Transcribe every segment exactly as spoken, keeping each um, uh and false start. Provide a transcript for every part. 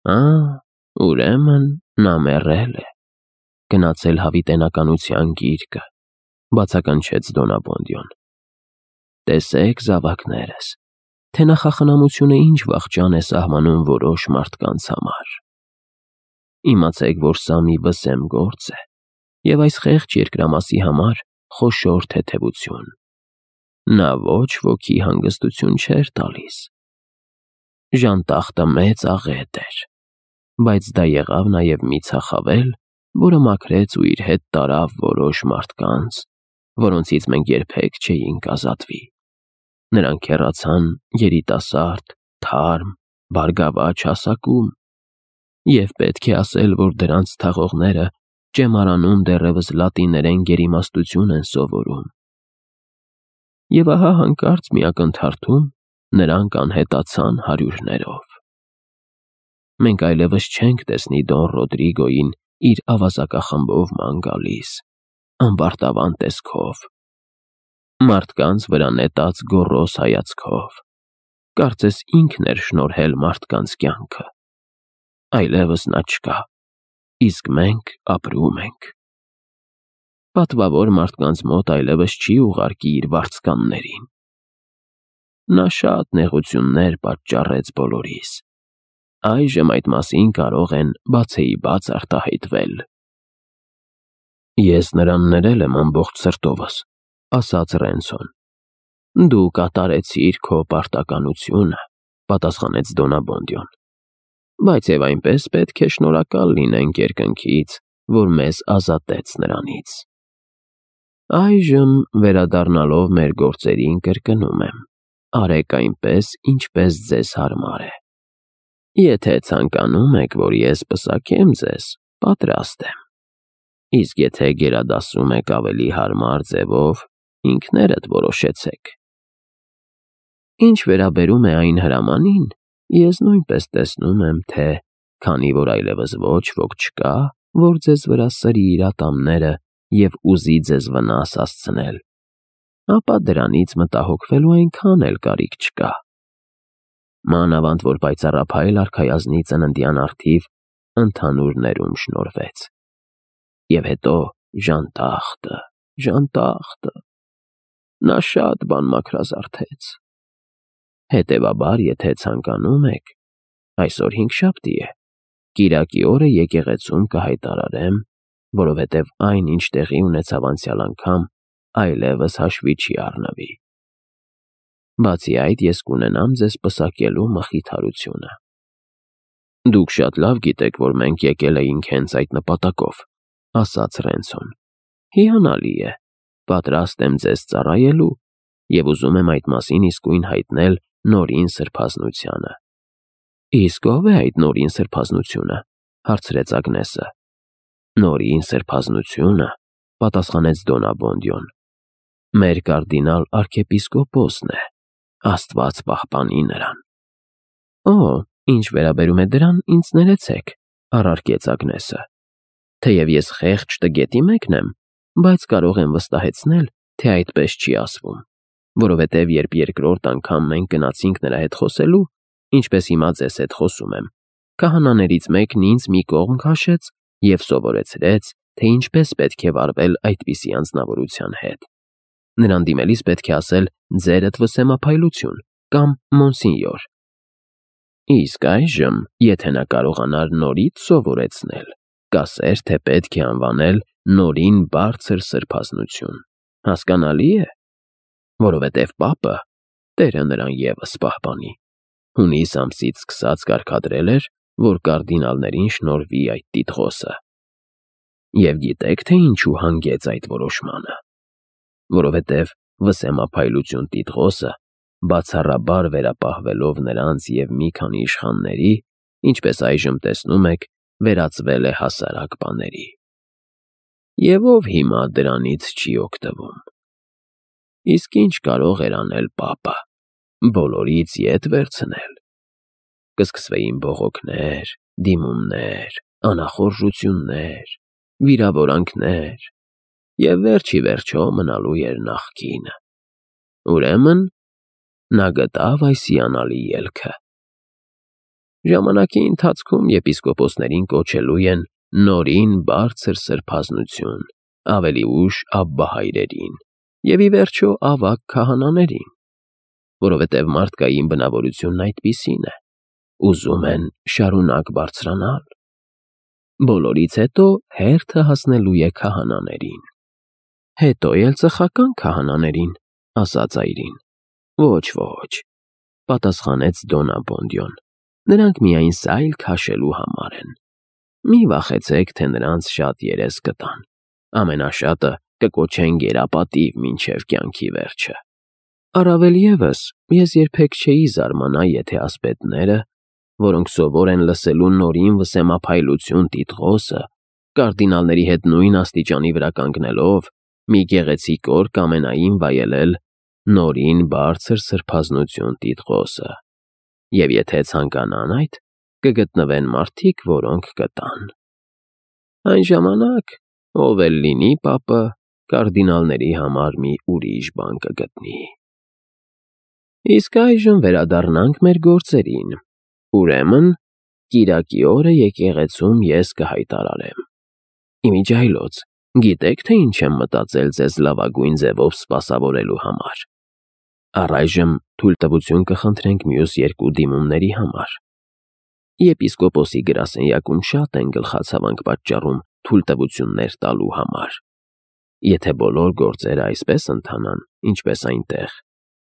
Ա, ուրեմն նա մեռել է, գնացել հավիտենականության գիրկը, բացականչեց Դոնաբոնդյոն։ Տեսեք, զավակներս, թե նախախնամությունը ինչ վախճան է սահմանում որոշ մարդկանց համար։ Իմացեք, որ սա մի վսեմ գործ է, և այս խեղճ երկրամասի համար խոշոր թեթևություն։ Նա ոչ ոքի հանգստություն չէր տալիս։ Ժանտախտը մեծ աղետ էր, բայց դա եղավ նաև մի ցախավել, որը մաքրեց ու իր հետ տարավ որոշ մարդկանց, որոնցից մենք երբեք չէինք ազատվի։ Նրանք հեռացան երիտասարդ, թարմ, բարգավաճ հասակում, և պետք է ասել, որ դրանց թաղողները ճեմարանում դեռևս լատիներեն գերիմաստություն են սովորում։ Եվ ահա հանկարծ մի ակնթարթում նրանք անհետացան հարյուրներով։ Մենք այլևս չենք տեսնի Դոն Ռոդրիգոյին իր ավազակախմբով ման գալիս, ամբարտավան տեսքով, մարդկանց վրա նետած գոռոզ հայացքով, կարծես ինքն էր շնորհել մարդկանց կյանքը։ Այլևս նա չկա, իսկ մենք ապրում ենք։ Պատվավոր մարդկանց մոտ այլևս չի ուղարկի իր վարձկաններին։ Նա շատ նեղություններ պատճառեց բոլորիս։ Այժմ այդ մասին կարող են բացեիբաց արտահայտվել։ Ես նրան ներել եմ ամբողջ սրտովս, ասաց Ռենցոն։ Դու կատարեցիր քո պարտականությունը, պատասխանեց Դոնաբոնդյոն, բայց և այնպես պետք է շնորհակալ լինենք երկնքից, որ մեզ ազատեց նրանից։ Այժմ, վերադառնալով մեր գործերին, կրկնում եմ, արեք այնպես, ինչպես ձեզ հարմար է։ Եթե ցանկանում եք, որ ես պսակեմ ձեզ, պատրաստ եմ, իսկ եթե գերադասում եք ավելի հարմար ձևով, ինքներդ որոշեցեք։ Ինչ վերաբերում է այն հրամանին, ես նույնպես տեսնում եմ, թե քանի որ այլևս ոչ ոք չկա, որ ձեզ վրա սրի իր ատամները և ուզի ձեզ վնաս հասցնել, ապա դրանից մտահոգվելու այնքան էլ կարիք չկա։ Մանավանդ որ պայծառափայլ արքայազնի ծննդյան առթիվ ընդհանուր ներում շնորհվեց։ Եվ հետո ժանտախտը, ժանտախտը, նա շատ բան մաքրազարդեց։ Հետևաբար, եթե ցանկանում եք, այսօր հինգշաբթի է, կիրակի օրը եկեղեցում կհայտարարեմ, որովհետև այն, ինչ տեղի ունեցավ անցյալ անգամ, այլևս հաշվի չի առնվի։ Բացի այդ, ես կունենամ ձեզ պսակելու մխիթարությունը։ Դուք շատ լավ գիտեք, որ մենք եկել էինք հենց այդ նպատակով, ասաց Ռենցոն։ Հիանալի է, պատրաստ եմ ձեզ ծառայելու և ուզում եմ այդ մասին իսկույն հայտնել Նորին Սրբազնությանը։ Իսկ ո՞վ է այդ Նորին Սրբազնությունը, հարցրեց Ագնեսը։ Նորին Սրբազնությունը, պատասխանեց Դոնաբոնդյոն, մեր կարդինալ արքեպիսկոպոսն է, Աստված պահպանի նրան։ Օ, ինչ վերաբերում է դրան, ինձ ներեցեք, առարկեց Ագնեսը։ Թեև ես խեղճ տգետի մեկն եմ, բայց կարող եմ վստահեցնել, թե այդպես չի ասվում, որովհետև երբ երկրորդ անգամ մենք գնացինք նրա հետ խոսելու, ինչպես հիմա ձեզ հետ խոսում եմ, քահանաներից մեկն ինձ մի կողմ քաշեց և սովորեցրեց, թե ինչպես պետք է վարվել այդպիսի անձնավորության հետ։ Նրան դիմելիս պետք է ասել ձերդ վսեմափայլություն կամ մոնսինյոր։ Իսկ այժմ, եթե նա կարողանար նորից սովորեցնել, կասեր, թե պետք է անվանել Նորին Բարձր Սրբազնություն, հասկանալի է, որովհետև պապը, Տերը նրան ևս պահպանի, հունիս ամսից սկսած կարգադրել էր, որ կարդինալներին շնորհվի այդ տիտղոսը։ Եվ գիտեք, թե ինչու հանգեց այդ որոշմանը, որովհետև վսեմափայլություն տիտղոսը, բացառաբար վերապահվելով նրանց և մի քանի իշխանների, ինչպես այժմ տեսնում եք, վերածվել է հասարակ բաների։ Եվ ով հիմա դրանից չի օգտվում։ Իսկ ինչ կարող էր անել պապը, բոլորից ետ վերցնել։ Կսկսվեին բողոքներ, դիմումներ, անախորժություններ, վիրավորանքներ, և վերջ ի վերջո մնալու էր նախկինը։ Ուրեմն նա գտավ այս հիանալի ելքը։ Ժամանակի ընթացքում եպիսկոպոսներին կոչելու են նորին բարձր սրբազնություն, ավելի ուշ աբբահայրերին և ի վերջո ավագ քահանաներին, որովհետև մարդկային բնավորությունն այդպիսին է, ուզում են շարունակ բարձրանալ։ Բոլորից հետո հերթը հասնելու է քահանաներին։ Հետո էլ ծխական քահանաներին, ասաց այրին։ Ոչ, ոչ, պատասխանեց Դոն Աբոնդիոն, նրանք միայն սայլ քաշելու համար են։ Մի վախեցեք, թե նրանց շատ երես կտան, ամենաշատը կկոչեն գերապատիվ մինչև կյանքի վերջը։ Առավել ևս, ես երբեք չէի զարմանա, եթե ասպետները, որոնք սովոր են լսելու նորին վսեմափայլություն տիտղոսը, կարդինալների հետ նույն աստիճանի վրա կանգնելով, մի գեղեցիկ օր կամենային վայելել նորին բարձր սրբազնություն տիտղոսը, և եթե ցանկանան այդ, կգտնվեն մարդիկ, որոնք կտան։ Այն ժամանակ, ով էլ լինի պապը, կարդինալների համար մի ուրիշ բան կգտնի։ Իսկ այժմ վերադառնանք մեր գործերին։ Ուրեմն, կիրակի օրը եկեղեցում ես կհայտարարեմ։ Իմիջիայլոց, գիտեք, թե ինչ եմ մտածել ձեզ լավագույն ձևով սպասավորելու համար։ Առայժմ թույլտվություն կխնդրենք մյուս երկու դիմումների համար։ Եպիսկոպոսի գրասենյակում շատ են գլխացավանք պատճառում թույլտվություններ տալու համար։ Եթե բոլոր գործերը այսպես ընթանան, ինչպես այնտեղ,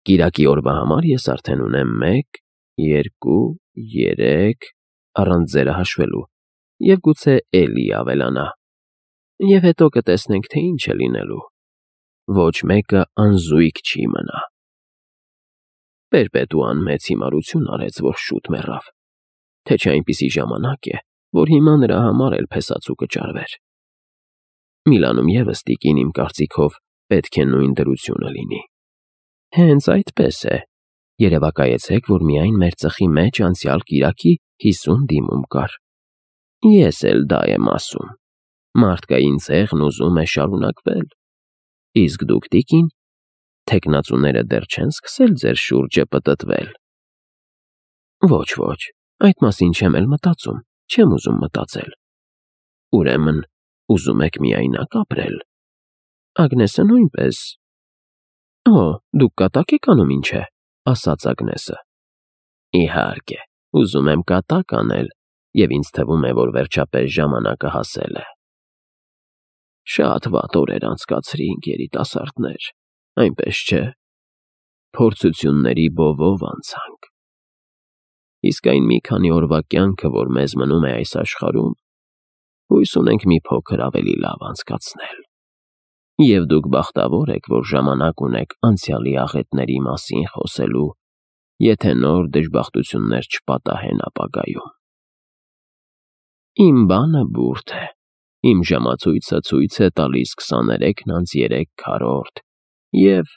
կիրակի օրվա համար ես արդեն ունեմ մեկ, երկու, երեք, առանց ձերը հաշվելու, և գուցե էլի ավելանա։ Եվ հետո կտեսնենք, թե ինչ է լինելու։ Ոչ մեկը անզույգ չի մնա։ Պերպետուան մեծ հիմարություն արեց, որ շուտ մեռավ, թե չէ այնպիսի ժամանակ է, որ հիմա նրա համար էլ փեսացու կճարվեր։ Միլանում ևս տիկին իմ կարծիքով պետք է նույն դրությունը լինի։ Հենց այդպես է։ Երևակայեցեք, որ միայն մեր ծխի մեջ անցյալ կիրակի հիսուն դիմում կար։ Ես էլ դա եմ ասում։ Մարդկային ցեղն ուզում է շարունակվել։ Իսկ դուք, տիկին, թեկնածուները դեռ չեն սկսել ձեր շուրջը պտտվել։ Ոչ, ոչ, այդ մասին չեմ էլ մտածում, չեմ ուզում մտածել։ Ուրեմն, ուզում եք միայնակ ապրել։ Ագնեսը նույնպես։ Օ, դուք կատակ եք անում, ինչ է, ասաց Ագնեսը։ Իհարկե, ուզում եմ կատակ անել, և ինձ թվում է, որ վերջապես ժամանակը հասել է։ Շատ վատ օրեր անցկացրինք, երիտասարդներ, այնպես չէ։ Փորձությունների բովով անցանք։ Իսկ այն մի քանի օրվա կյանքը, որ մեզ մնում է այս աշխարհում, հույս ունենք մի փոքր ավելի լավ անցկացնել։ Եվ դուք բախտավոր եք, որ ժամանակ ունեք անցյալի աղետների մասին խոսելու, եթե նոր դժբախտություններ չպատահեն ապագայում։ Իմ բանը բուրդ է։ Իմ ժամացույցը ցույց է տալիս քսաներեքն անց երեք քառորդ, և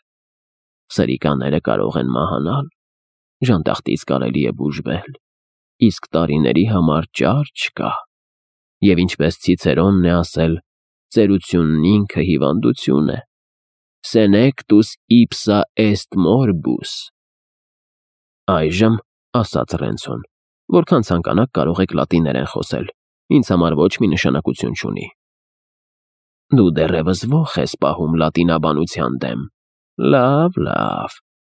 սրիկաները կարող են մահանալ, ժանտախտից կարելի է բուժվել, իսկ տարիների համար ճար չկա։ Եվ ինչպես Ցիցերոնն է ասել, ծերությունն ինքը հիվանդություն է։ Senectus ipsa est morbus։ Այժմ, ասաց Ռենցոն, որքան ցանկանաք կարող եք լատիներեն խոսել, ինձ համար ոչ մի նշանակություն չունի։ Դու դեռևս ոխ ես պահում լատինաբանության դեմ։ Լավ, լավ,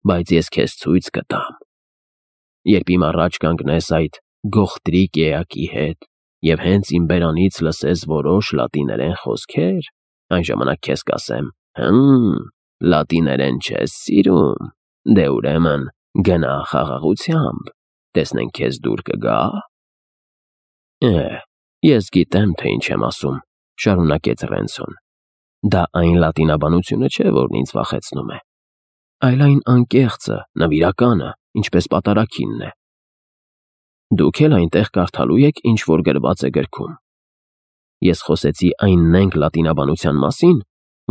բայց ես քեզ ցույց կտամ։ Երբ իմ առաջ կանգնես այդ գողտրիկ էակի հետ, և հենց իմ բերանից լսես որոշ լատիներեն խոսքեր, այն ժամանակ քեզ կասեմ. հմ, լատիներեն չես սիրում, դե ուրեմն գնա խաղաղությամբ, տեսնենք քեզ դուր կգա։ Է, ես գիտեմ, թե ինչ եմ ասում, շարունակեց Ռենցոն։ Դա այն լատինաբանությունը չէ, որն ինձ վախեցնում է, այլ այն անկեղծը, նվիրականը, ինչպես պատարագինն է։ Դուք էլ այնտեղ կարդալու եք, ինչ որ գրված է գրքում։ Ես խոսեցի այն նենգ լատինաբանության մասին,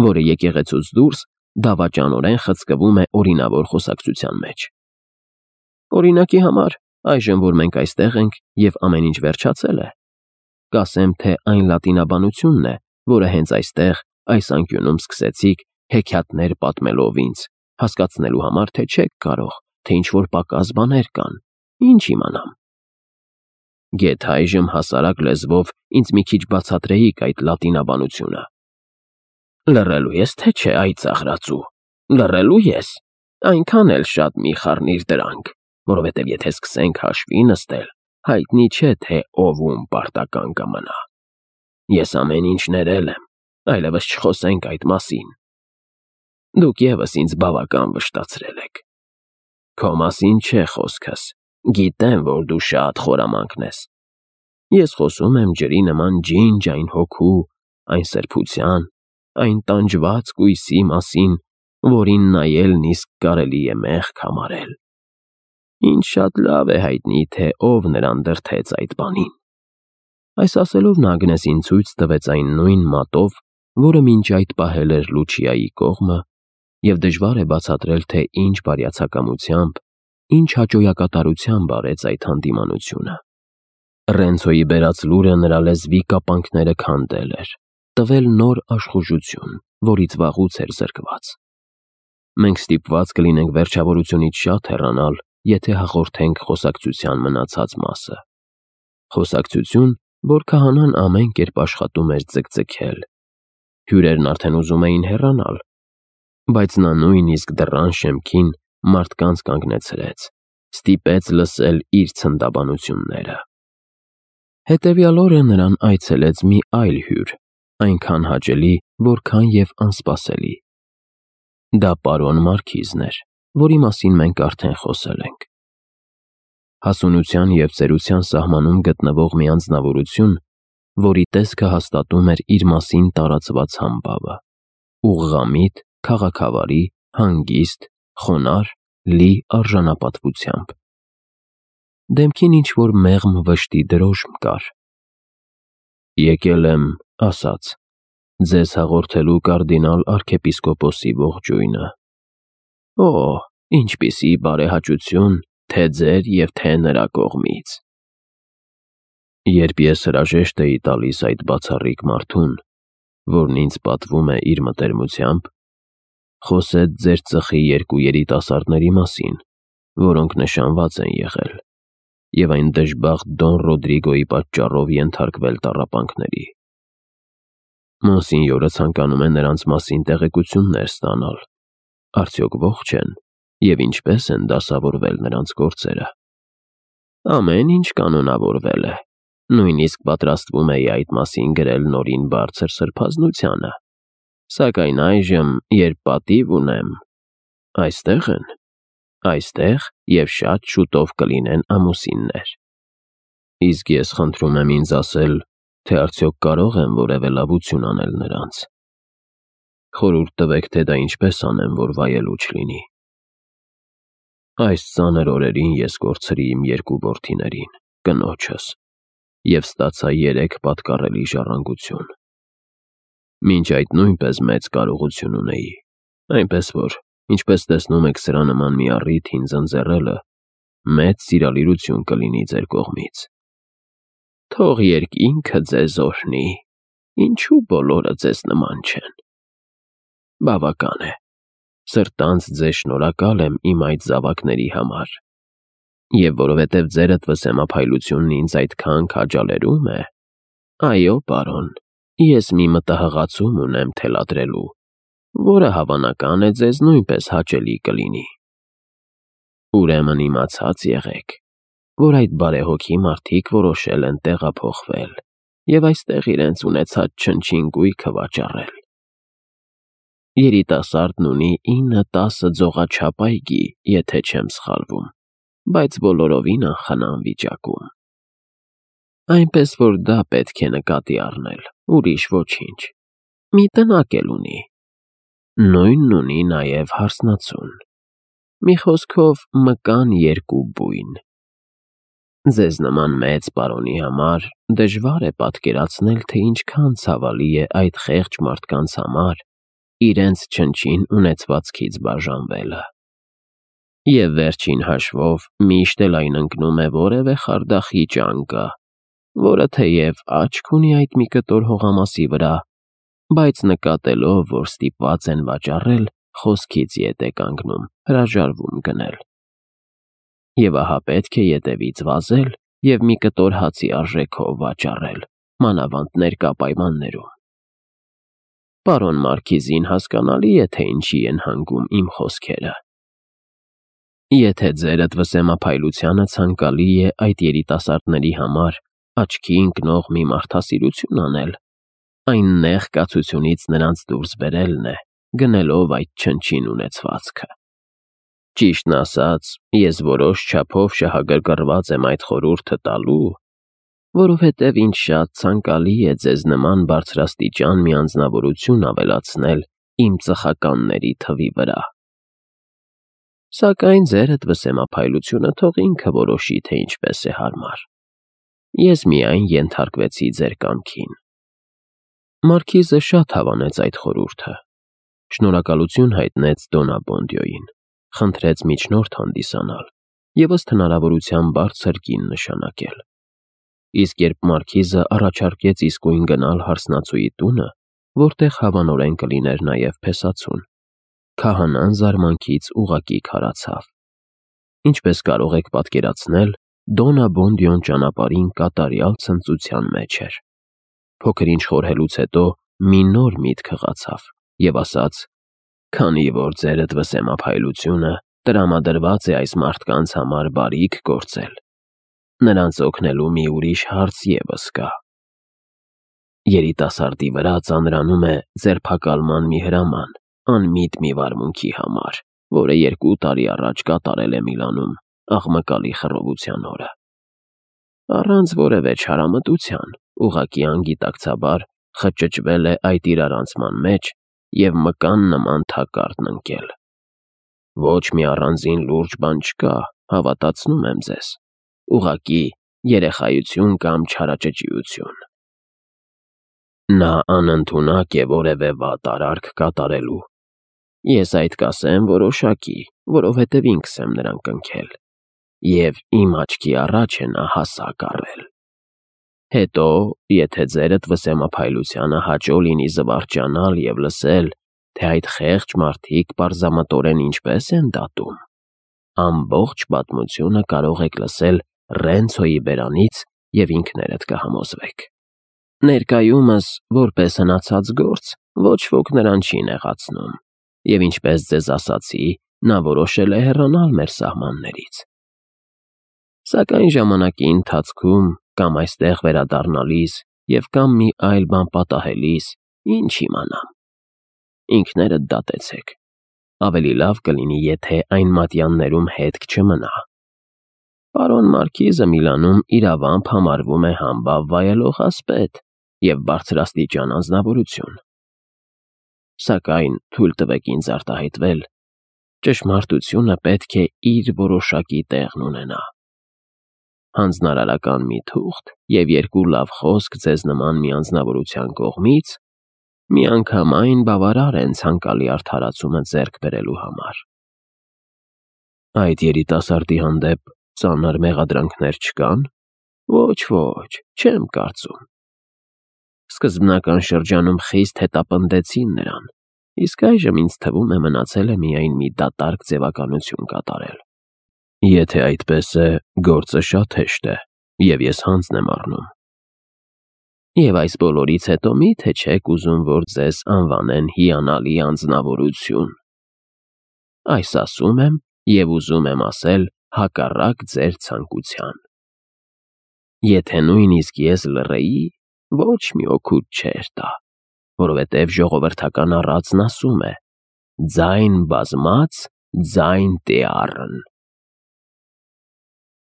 որը եկեղեցուց դուրս դավաճանորեն խցկվում է օրինավոր խոսակցության մեջ։ Օրինակի համար, այժմ որ մենք այստեղ ենք և ամեն ինչ վերջացել է, կասեմ, թե այն լատինաբանությունն է, որը հենց այստեղ, այս անկյունում սկսեցիք հեքիաթներ պատմելով ինձ, հասկացնելու համար, թե չեք կարող, թե ինչ-որ պակաս բաներ կան, ինչ իմանամ։ Գեթ այժմ հասարակ լեզվով ինձ մի քիչ բացատրեիք այդ լատինաբանությունը։ Լռելու ես, թե չէ, այ ծաղրածու, լռելու ես, այնքան էլ շատ մի խառնիր դրանք, որովհետև եթե սկսենք հաշվի նստել, հայտնի չէ, թե ով ում պարտական կմնա։ Ես ամեն ինչ ներել եմ, այլևս չխոսենք այդ մասին։ Դուք ևս ինձ բավական վշտացրել եք։ Քո մասին չէ խոսքս, գիտեմ, որ դու շատ խորամանկ ես։ Ես խոսում եմ ջրի նման ջինջ այն հոգու, այն սրբության, այն տանջված կույսի մասին, որին նայելն իսկ կարելի է մեղք համարել։ Ինձ շատ լավ է հայտնի, թե ով նրան դրդեց այդ բանին։ Այս ասելով նա Ագնեսին ցույց տվեց այն նույն մատով, որը մինչ այդ պահել էր Լուչիայի կողմը, և դժվար է բացատրել, թե ինչ բարյացակամությամբ, ինչ հաճոյակատարությամբ արեց այդ հանդիմանությունը։ Ռենցոյի բերած լուրը նրա լեզվի կապանքները քանդել էր, տվել նոր աշխուժություն, որից վաղուց էր զրկված։ Մենք ստիպված կլինենք վերջավորությունից շատ հեռանալ, եթե հաղորդենք խոսակցության մնացած մասը։ Խոսակցություն, որ քահանան ամեն կերպ աշխատում էր ձգձգել։ Հյուրերն արդեն ուզում էին հեռանալ, բայց նա նույնիսկ դռան շեմքին մարդկանց կանգնեցրեց, ստիպեց լսել իր ցնդաբանությունները։ Հետևյալ օրը նրան այցելեց մի այլ հյուր, այնքան հաճելի, որքան և անսպասելի։ Դա պարոն Մարքիզն էր, որի մասին մենք արդեն խոսել ենք։ Հասունության և ծերության սահմանում գտնվող մի անձնավորություն, որի տեսքը հաստատում էր իր մասին տարածված համբավը, ուղղամիտ, քաղաքավարի, հանգիստ, խոնարհ, լի արժանապատվությամբ։ Դեմքին ինչ-որ մեղմ վշտի դրոշմ կար։ Եկել եմ, ասաց, ձեզ հաղորդելու կարդինալ արքեպիսկոպոսի ողջույնը։ Օ, ինչպիսի բարեհաճություն, թե ձեր և թե նրա կողմից։ Երբ ես հրաժեշտ էի տալիս այդ բացառիկ մարդուն, որն ինձ պատվում է իր մտերմությամբ, խոսեց ձեր ծխի երկու երիտասարդների մասին, որոնք նշանված են եղել, և այն դժբախտ Դոն Ռոդրիգոյի պատճառով ենթարկվել տառապանքների։ Մոնսինյորը ցանկանում է նրանց մասին տեղեկություններ ստանալ, արդյոք ողջ են և ինչպես են դասավորվել նրանց գործերը։ Ամեն ինչ կանոնավորվել է, նույնիսկ պատրաստվում էի այդ մասին գրել նորին բարձր սրբազնությանը, սակայն այժմ, երբ պատիվ ունեմ, այստեղ են, այստեղ և շատ շուտով կլինեն ամուսիններ։ Իսկ ես խնդրում եմ ինձ ասել, թե արդյոք կարող եմ որևէ լավություն անել նրանց։ Խորհուրդ տվեք, թե դա ինչպես անեմ, որ վայելուչ լինի։ Այս ծանր օրերին ես կորցրի իմ երկու որդիներին, կնոջս, և ստացա երեք պատկառելի ժառանգություն։ Մինչ այդ նույնպես մեծ կարողություն ունեի, այնպես որ, ինչպես տեսնում եք, սրա նման մի առիթ ինձ ընձեռելը մեծ սիրալիրություն կլինի ձեր կողմից։ Թող երկինքը ձեզ օրհնի, ինչու բոլորը ձեզ նման չեն։ Բավական է, սրտանց ձեզ շնորհակալ եմ իմ այդ զավակների համար, և որովհետև ձերդ վսեմափայլությունն ինձ այդքան քաջալերում է, այո, պարոն, ես մի մտահղացում ունեմ թելադրելու, որը հավանական է ձեզ նույնպես հաճելի կլինի։ Ուրեմն իմացած եղեք, որ այդ բարեհոգի մարդիկ որոշել են տեղափոխվել և այստեղ իրենց ունեցած չնչին գույքը վաճառել։ Երիտասարդն ունի ինը-տասը ձողաչափ այգի, եթե չեմ սխալվում, բայց բոլորովին անխնամ վիճակում։ Այնպես որ դա պետք է նկատի առնել, ուրիշ ոչինչ։ Մի տնակ էլ ունի։ Նույնն ունի նաև հարսնացուն։ Մի խոսքով մկան երկու բույն։ Ձեզ նման մեծ պարոնի համար դժվար է պատկերացնել, թե ինչքան ցավալի է այդ խեղճ մարդկանց համար իրենց չնչին ունեցվածքից բաժանվելը։ Եվ վերջին հաշվով միշտ էլ այն ընկնում է որևէ խարդախի ճանկա, որը թեև աչք ունի այդ մի կտոր հողամասի վրա, բայց նկատելով, որ ստիպված են վաճառել, խոսքից ետ է կանգնում, հրաժարվում գնել։ Եվ ահա պետք է ետևից վազել և մի կտոր հացի արժեքով վաճառել, մանավանդ ներկա պայմաններում։ Պարոն Մարքիզին հասկանալի է, թե ինչի են հանգում իմ խոսքերը։ Եթե ձերդ վսեմափայլությանը ցանկալի է այդ երիտասարդների համար աչքի ընկնող մի մարդասիրություն անել, այն նեղ կացությունից նրանց դուրս բերելն է, գնելով այդ չնչին ունեցվածքը։ Ճիշտն ասած, ես որոշ չափով շահագրգռված եմ այդ խորհուրդը տալու, որովհետև ինձ շատ ցանկալի է ձեզ նման բարձրաստիճան մի անձնավորություն ավելացնել իմ ծխականների թվի վրա։ Սակայն ձերդ վսեմափայլությունը թող ինքը որոշի, թե ինչպես է հարմար։ Ես միայն ենթարկվեցի ձեր կամքին։ Մարքիզը շատ հավանեց այդ խորհուրդը, շնորհակալություն հայտնեց Դոնաբոնդիոյին, խնդրեց միջնորդ հանդիսանալ և ըստ հնարավորության բարձր կին նշանակել։ Իսկ երբ Մարքիզը առաջարկեց իսկույն գնալ հարսնացուի տունը, որտեղ հավանորեն կլիներ նաև փեսացուն, քահանան զարմանքից ուղղակի քարացավ։ Ինչպես կարող եք պատկերացնել, Դոնաբոնդիոն ճանապարհին կատարյալ ցնծության մեջ էր։ Փոքր-ինչ խորհելուց հետո մի նոր միտք հղացավ և ասաց. «Քանի որ ձերդ վսեմափայլությունը տրամադրված է այս մարդկանց համար բարիք գործել, նրանց օգնելու մի ուրիշ հարց ևս կա։ Երիտասարդի վրա ծանրանում է ձերբակալման մի հրաման, անմիտ մի վարմունքի համար, որը երկու տարի առաջ կատարել է Միլանում աղմկալի խռովության օրը։ Առանց որևէ չարամտության, ուղղակի անգիտակցաբար խճճվել է այդ իրարանցման մեջ և մկան նման թակարդն ընկել։ Ոչ մի առանձին լուրջ բան չկա, հավատացնում եմ ձեզ, ուղղակի երեխայություն կամ չարաճճիություն։ Նա անընդունակ է որևէ վատ արարք կատարելու։ Ես այդ կասեմ որոշակի, որովհետև ինքս եմ նրան կնքել, և իմ աչքի առաջ է նա հասակ առել։ Հետո, եթե ձերդ վսեմափայլությանը հաճո լինի զվարճանալ և լսել, թե այդ խեղճ մարդիկ պարզամտորեն ինչպես են դատում, ամբողջ պատմությունը կարող եք լսել Ռենցոյի բերանից և ինքներդ կհամոզվեք։ Ներկայումս, որպես հնացած գործ, ոչ ոք նրան չի նեղացնում, և ինչպես ձեզ ասացի, նա որոշել է հեռանալ մեր սահմաններից։ Սակայն ժամանակի ընթացքում, կամ այստեղ վերադառնալիս և կամ մի այլ բան պատահելիս, ինչ իմանամ։ Ինքներդ դատեցեք։ Ավելի լավ կլինի, եթե այն մատյաններում հետք չմնա։ Պարոն Մարքիզը Միլանում իրավամբ համարվում է համբավ վայելող ասպետ և բարձրաստիճան անձնավորություն։ Սակայն թույլ տվեք ինձ արտահայտվել, ճշմարտությունը պետք է իր որոշակի տեղն ունենա։ Հանձնարարական մի թուղթ և երկու լավ խոսք ձեզ նման մի անձնավորության կողմից միանգամայն բավարար են ցանկալի արդարացումը ձեռք բերելու համար։ Այդ երիտասարդի հանդեպ ծանր մեղադրանքներ չկա՞ն։ Ոչ, ոչ, չեմ կարծում։ Սկզբնական շրջանում խիստ հետապնդեցին նրան, իսկ այժմ ինձ թվում է մնացել է միայն մի դատարկ ձևականություն կատարել։ Եթե այդպես է, գործը շատ հեշտ է, և ես հանձն եմ առնում։ Եվ այս բոլորից հետո մի՞թե չեք ուզում, որ ձեզ անվանեն հիանալի անձնավորություն։ Այս ասում եմ և ուզում եմ ասել հակառակ ձեր ցանկության։ Եթե նույնիսկ ես լռեի, ոչ մի օգուտ չէր տա, որովհետև ժողովրդական առածն ասում է. «Ձայն բազմաց, ձայն տյառն»։